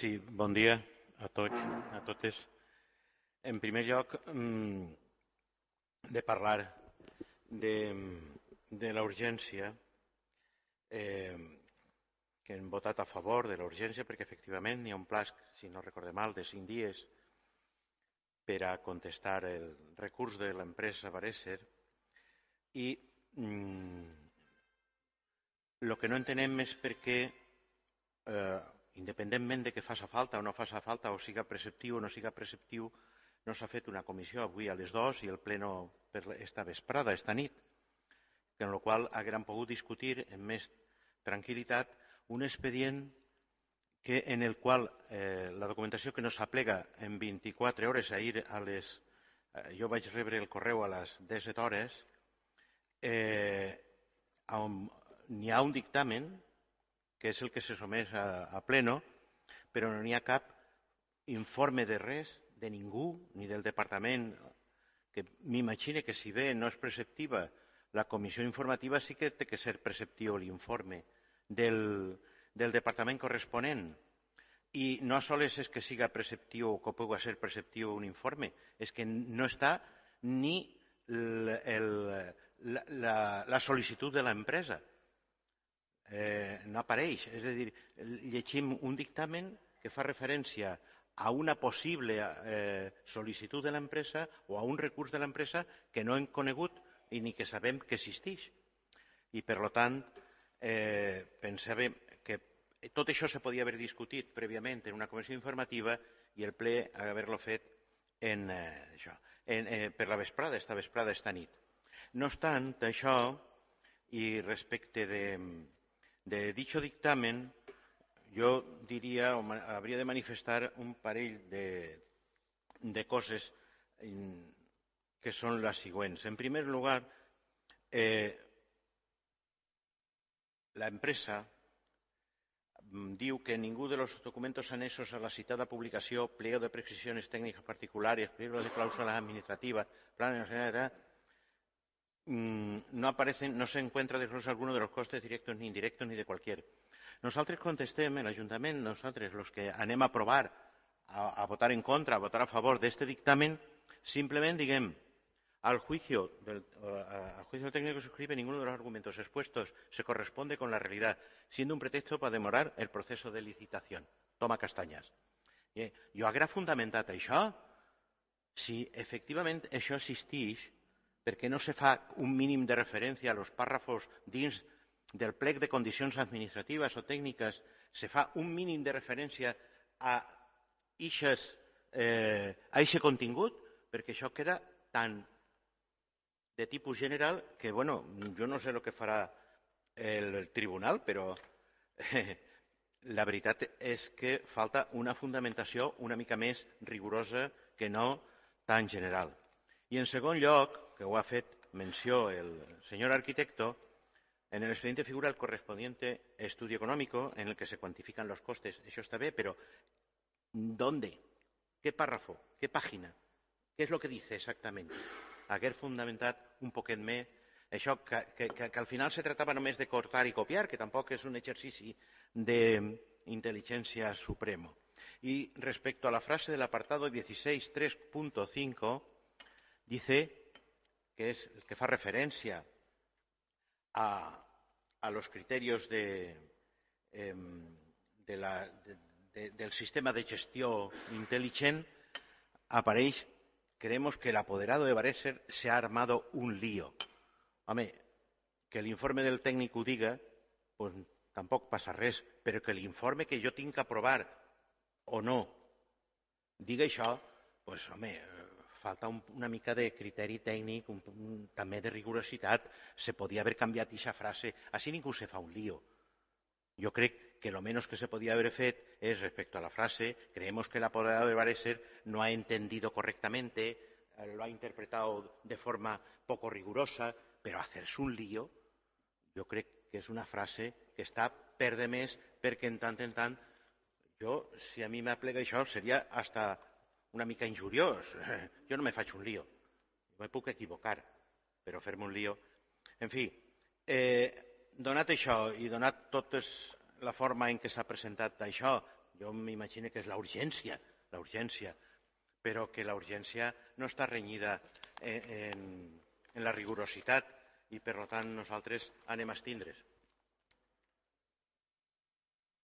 Sí, bon dia a tots, a totes. En primer lloc, de parlar de la urgència, que hem votat a favor de la urgència perquè efectivament hi ha un pla, si no recorde mal, de 5 dies per a contestar el recurs de l'empresa Bareser i el que no entenem és per què, independentment de que faci falta o no faci falta, o siga preceptiu o no siga preceptiu, no s'ha fet una comissió avui a les 2 i el pleno per esta vesprada, esta nit, en la qual haguérem pogut discutir amb més tranquil·litat un expedient en el qual la documentació que no s'aplega en 24 hores, ahir jo vaig rebre el correu a les 17 hores, on n'hi ha un dictamen, que és el que se somés a pleno, però no n'hi ha cap informe de res, de ningú, ni del departament, que m'imagine que si bé no és preceptiva la comissió informativa, sí que té que ser preceptiu l'informe del departament corresponent. I no sols és que siga preceptiu o que pugui ser preceptiu un informe, és que no està ni la sol·licitud de l'empresa. No apareix. És a dir, llegim un dictamen que fa referència a una possible sol·licitud de l'empresa o a un recurs de l'empresa que no hem conegut i ni que sabem que existeix. I, per tant, pensàvem que tot això se podia haver discutit prèviament en una comissió informativa i el ple haver-lo fet per la vesprada, esta vesprada, esta nit. No obstant això, i respecte de dicho dictamen, jo diria, o hauria de manifestar un parell de coses que són les següents. En primer lugar, la empresa diu que ninguno de los documentos anexos a la citada publicación, pliego de prescripciones técnicas particulares, pliego de cláusulas administrativas, planes de no aparecen, no se encuentra desglose alguno de los costes directos ni indirectos ni de cualquier. Nosaltres contestem, l'Ajuntament, nosaltres, els que anem a aprovar, a votar en contra, a votar a favor d'este dictamen, simplement diguem, al juicio técnico que suscribe ninguno de los argumentos expuestos se corresponde con la realidad, siendo un pretexto para demorar el proceso de licitación. Toma castanyes. Jo haguera fundamentat això si efectivament això existeix, perquè no se fa un mínim de referència a los pàrrafos dins del plec de condicions administratives o tècniques, se fa un mínim de referència a aquest contingut, perquè això queda tan de tipus general que, bueno, jo no sé el que farà el tribunal, però la veritat és que falta una fundamentació una mica més rigorosa que no tan general. I en segon lloc, que ho ha fet menció el senyor arquitecto, en el expediente figura el correspondiente estudio económico en el que se cuantifican los costes. Eso está bien, pero ¿dónde? ¿Qué párrafo? ¿Qué página? ¿Qué es lo que dice exactamente? Haguer fundamentat un poquet més això, que al final se tratava només de cortar i copiar, que tampoc és un exercici d'intel·ligència supremo. Y respecto a la frase del apartado 16.3.5, dice que es el que fa referència a los criterios del sistema de gestió intel·ligent, apareix: creemos que el apoderado de Bareser se ha armado un lío. Home, que l'informe del tècnic ho diga, pues, tampoc passa res, però que l'informe que jo tinc que aprovar o no diga això, pues, home, falta una mica de criteri tècnic, també de rigorositat. Se podia haver canviat aquesta frase. Així ningú se fa un lío. Yo creo que lo menos que se podía haber hecho es, respecto a la frase, creemos que el apoderado de Bareser no ha entendido correctamente, lo ha interpretado de forma poco rigurosa, pero hacerse un lío, yo creo que es una frase que està per de més, perquè en tant, si a mi m'aplega això, seria hasta una mica injuriós. Jo no me faig un lío. Me puc equivocar, però fer-me un lío. En fi, donat això i donat tota la forma en què s'ha presentat això, jo m'imagino que és la urgència, però que la urgència no està renyida en la rigorositat i, per tant, nosaltres anem a abstindre's.